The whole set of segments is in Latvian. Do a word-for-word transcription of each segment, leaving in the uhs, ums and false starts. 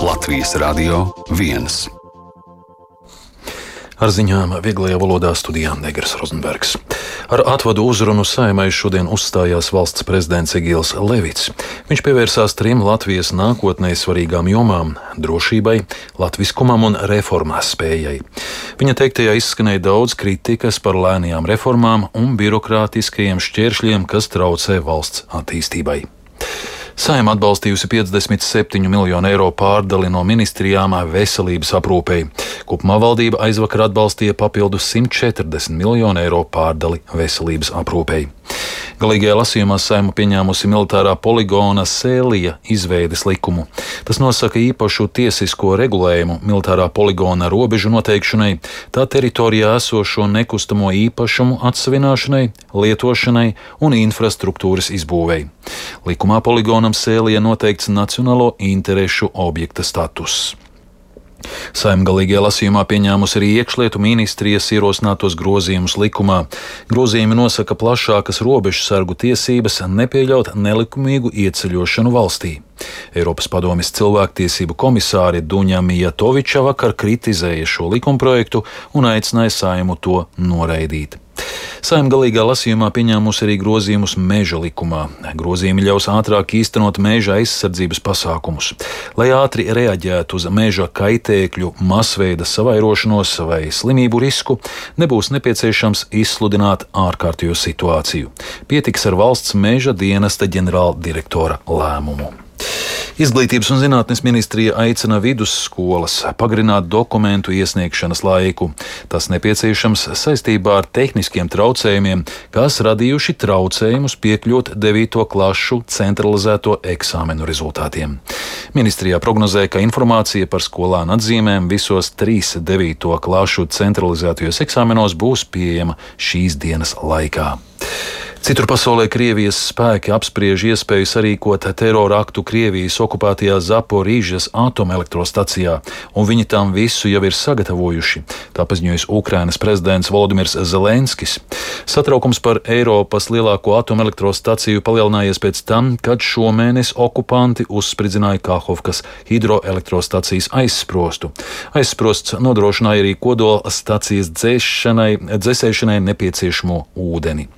Latvijas Radio viens. Ar ziņām vieglajā valodā studijā Negras Rozenbergs. Ar atvadu uzrunu Saeimai šodien uzstājās valsts prezidents Egils Levits. Viņš pievērsās trim Latvijas nākotnē svarīgām jomām - drošībai, latviskumam un reformās spējai. Viņa teiktajā izskanēja daudz kritikas par lēnajām reformām un birokrātiskajiem šķēršļiem, kas traucē valsts attīstībai. Saeima atbalstījusi piecdesmit septiņu miljonu eiro pārdali no ministrijām veselības aprūpei. Kopumā valdība aizvakar atbalstīja papildus simt četrdesmit miljonu eiro pārdali veselības aprūpei. Galīgajā lasījumā Saeima pieņēmusi militārā poligona Sēlija izveides likumu. Tas nosaka īpašu tiesisko regulējumu militārā poligona robežu noteikšanai, tā teritorijā esošo nekustamo īpašumu atsavināšanai, lietošanai un infrastruktūras izbūvei. Likumā poligonam Sēlija noteikts nacionālo interešu objekta status. Saeima galīgajā lasījumā pieņēmusi arī iekšlietu ministrijas ierosinātos grozījumus likumā. Grozījumi nosaka plašākas robežsargu tiesības nepieļaut nelikumīgu ieceļošanu valstī. Eiropas padomes cilvēktiesību komisāre Duņa Mijatoviča vakar kritizēja šo likumprojektu un aicināja Saeimu to noraidīt. Saeima galīgā lasījumā pieņēmusi arī grozījumus meža likumā. Grozījumi ļaus ātrāk īstenot meža aizsardzības pasākumus. Lai ātri reaģētu uz meža kaitēkļu, masveida savairošanos vai slimību risku, nebūs nepieciešams izsludināt ārkārtējo situāciju. Pietiks ar valsts meža dienesta ģenerāldirektora lēmumu. Izglītības un zinātnes ministrija aicina vidusskolas pagarināt dokumentu iesniegšanas laiku. Tas nepieciešams saistībā ar tehniskiem traucējumiem, kas radījuši traucējumus piekļūt devīto klašu centralizēto eksāmenu rezultātiem. Ministrijā prognozē, ka informācija par skolānu atzīmēm visos trīs devīto klašu centralizētajos eksāmenos būs pieejama šīs dienas laikā. Citur pasaulē Krievijas spēki apspriež iespēju sarīkot terora aktu Krievijas okupētajā Zaporīžas atomelektrostacijā, un viņi tam visu jau ir sagatavojuši, tā paziņojis Ukrainas prezidents Volodimirs Zelenskis. Satraukums par Eiropas lielāko atomelektrostaciju palielinājies pēc tam, kad šomēnes okupanti uzspridzināja Kahovkas hidroelektrostacijas aizsprostu. Aizsprosts nodrošināja arī kodola stacijas dzēšanai, dzēsēšanai nepieciešamo ūdeni.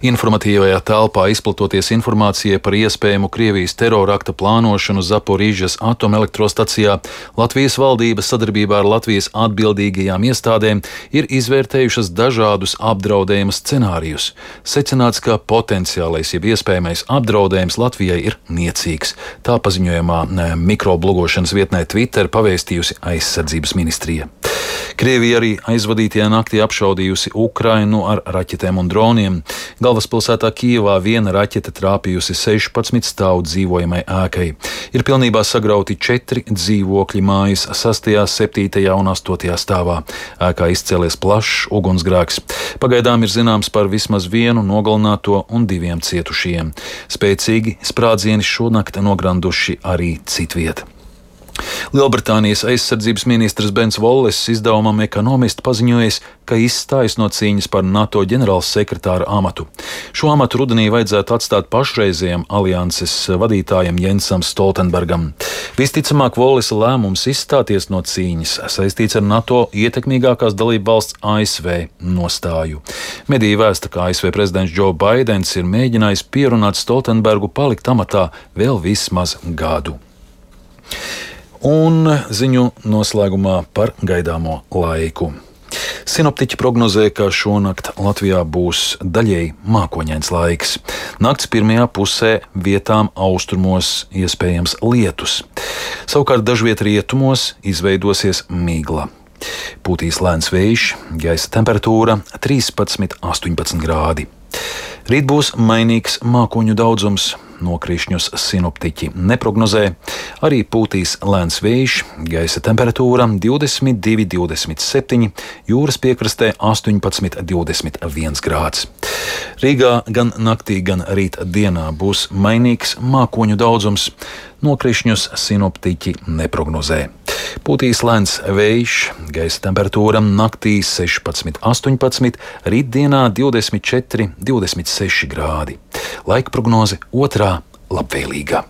Informatīvajā telpā izplatoties informācijai par iespējamu Krievijas terorakta plānošanu Zaporīžas atomelektrostacijā, Latvijas valdība sadarbībā ar Latvijas atbildīgajām iestādēm ir izvērtējušas dažādus apdraudējuma scenārijus. Secināts, ka potenciālais jeb iespējamais apdraudējums Latvijai ir niecīgs. Tā paziņojumā mikroblogošanas vietnē Twitter pavēstījusi aizsardzības ministrija. Krievija arī aizvadītajā naktī apšaudījusi Ukrainu ar raķetēm un droniem. Galvaspilsētā Kijevā viena raķete trāpījusi sešpadsmit stāvu dzīvojamai ēkai. Ir pilnībā sagrauti četri dzīvokļi mājas sastajā, septītajā un astotajā stāvā. Ēkā izcēlies plašs ugunsgrēks. Pagaidām ir zināms par vismaz vienu nogalināto un diviem cietušajiem. Spēcīgi sprādzieni šonakt nogranduši arī citviet. Lielbritānijas aizsardzības ministrs Bens Vollis izdevumam Economist paziņojis, ka izstājas no cīņas par NATO ģenerālsekretāra amatu. Šo amatu rudenī vajadzētu atstāt pašreizējam alianses vadītājam Jensam Stoltenbergam. Visticamāk, Vollisa lēmums izstāties no cīņas saistīts ar NATO ietekmīgākās dalību valsts A S V nostāju. Mediji vēsta, ka A S V prezidents Džo Baidens ir mēģinājis pierunāt Stoltenbergu palikt amatā vēl vismaz gadu. Un ziņu noslēgumā par gaidāmo laiku. Sinoptiķi prognozē, ka šonakt Latvijā būs daļēji mākoņains laiks. Nakts pirmajā pusē vietām austrumos iespējams lietus. Savukārt dažviet rietumos izveidosies migla. Pūtīs lēns vējš, gaisa temperatūra trīspadsmit līdz astoņpadsmit grādi. Rīt būs mainīgs mākoņu daudzums. Nokrišņus sinoptiķi neprognozē, arī pūtīs lēns vējš, gaisa temperatūra divdesmit divi līdz divdesmit septiņi, jūras piekrastē astoņpadsmit līdz divdesmit viens grāds. Rīgā gan naktī, gan rīt dienā būs mainīgs mākoņu daudzums. Nokrišņus sinoptiķi neprognozē. Pūtīs lēns vējš, gaisa temperatūra naktī sešpadsmit līdz astoņpadsmit, rītdienā divdesmit četri līdz divdesmit seši grādi. Laika prognoze otrā labvēlīga.